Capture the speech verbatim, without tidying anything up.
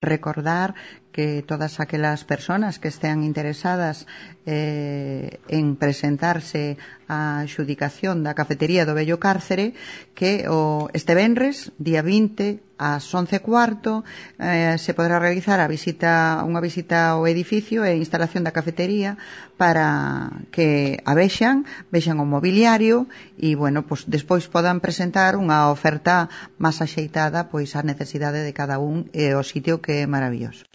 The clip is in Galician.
Recordar que todas aquelas persoas que estean interesadas eh, en presentarse á xudicación da cafetería do Vello Cárcere, que o este venres, día vinte, ás once e cuarto, eh, se podrá realizar a visita, unha visita ao edificio e instalación da cafetería para que a vexan, vexan o mobiliario e, bueno, pues, despois podan presentar unha oferta máis axeitada pois á necesidade de cada un e o sitio que é maravilloso.